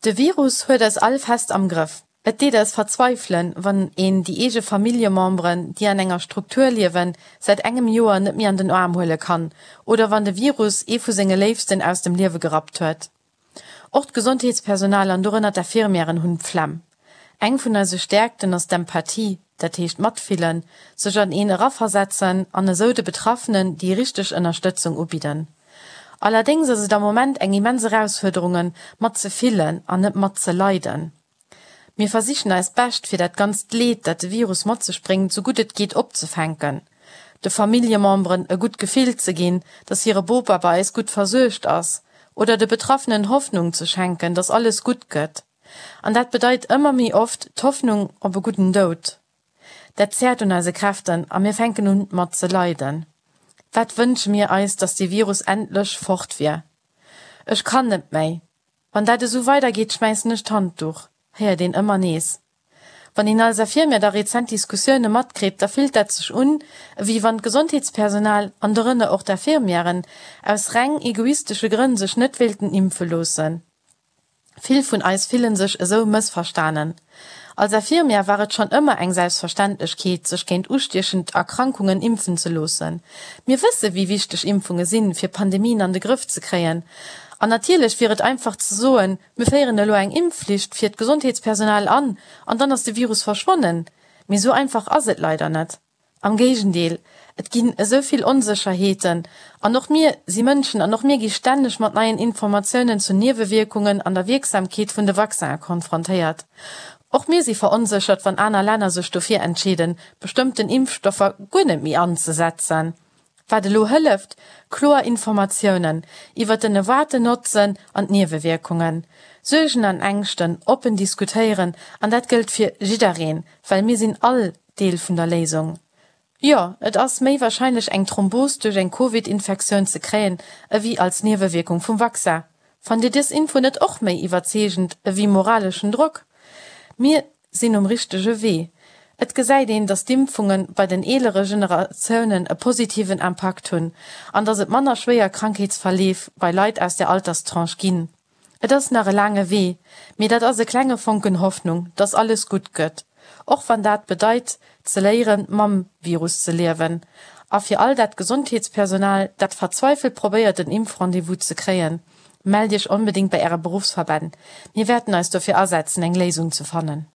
De Virus huet eis all fest am Grëff. Et deet eis verzweifelen, wann een déi eege Familljememberen, déi an enger Struktur liewen, säit engem Joer net méi an den Aarm huele kann oder wann de Virus ee vu senge Léifsten aus dem Liewe gerappt huet. Och d'Gesondheetspersonal an dorënner d'Infirmièren hunn d'Flemm. Eng vun eise Stäerkten ass d'Empathie, dat heescht matfillen, sech an een eraversetzen an esou de Betraffenen déi richteg Ënnerstëtzung ubidden. Allerdéngs ass et am Moment eng immens Erausfuerderungen, mat ze fillen an net mat ze leiden. Mir versichen eist Bescht, fir dat ganzt Leed, dat de Virus mat sech bréngt, sou gutt et geet opzefänken, de Familljememberen e gutt Gefill ze ginn, dass hire Bopa bei eis gutt versuergt ass, oder de Betraffenen Hoffnung ze schenken, dass alles gutt gëtt. An dat bedeit ëmmer méi oft d'Hoffnung op e gudden Doud. Dat zäert un eise Kräften a mir fänken un mat ze leiden. Wat wënsche mir eis, dass dee Virus endlech fort wier. Ech kann net méi. Wann dat esou weider geet, schmäissen ech d'Handduch, héiert een ëmmer nees. Wann een als Infirmière da rezent Diskussioune matkritt, da fillt dat sech un, ewéi wann d'Gesondheetspersonal, an dorënner och d'Infirmièren, aus reng egoistesche Grënn sech net wéilten impfe loossen. Vill vun eis fillen sech esou mëssverstanen. Als Infirmière war et schonn ëmmer eng Selbstverständlechkeet, sech géint ustiechend Erkrankungen impfen ze loossen. Mir wësse wéi wichteg Impfunge sinn, fir Pandemien an de Grëff ze kréien. An natierlech wier et einfach ze soen, mir féieren elo eng Impfflicht fir d'Gesondheetspersonal an, an dann ass de Virus verschwonnen. Mee esou einfach ass et leider net. Am Géigendeel, et ginn esou vill Onsécherheeten. An och mir si Mënschen an och mir gi stänneg mat neien Informatiounen zu Niewewierkungen an der Wierksamkeet vun de Vaccinen konfrontéiert. Och mir si veronséchert, wann aner Länner sech dofir entscheeden, bestëmmten Impfstoffer guer net méi anzesetzen. Wat elo hëlleft, Kloer Informatiounen iwwer den erwaarten Notzen an d'Niewewierkungen. Suergen an Ängschten oppen diskutéieren, an dat gëllt fir jiddereen, well mir sinn all Deel vun der Léisung. Jo, et ass méi warscheinlech eng Thrombos duerch eng Covid-Infektioun ze kréien ewéi als Niewewierkung vum Vaccin. Fannt Dir dës Info net och méi iwwerzeegend ewéi moraleschen Drock? Mir sinn um richtege Wee. Et gesäit een, datt d'Impfunge bei den eelere Generatiounen e positiven Impakt hunn an datt et manner schwéier Krankheetsverleef bei Leit aus där Alterstranche ginn. Et ass nach e laange Wee, mee dat ass e klenge Fonken Hoffnung, dass alles gutt gëtt, och wann dat bedeit, ze léieren, mam Virus ze liewen. A fir all dat Gesondheetspersonal, dat verzweifelt probéiert, en Impfrendez-vous ze kréien, Mellt Iech onbedéngt bei Äre Beruffsverbänn. Mir wäerten eis dofir asetzen, eng Léisung ze fannen.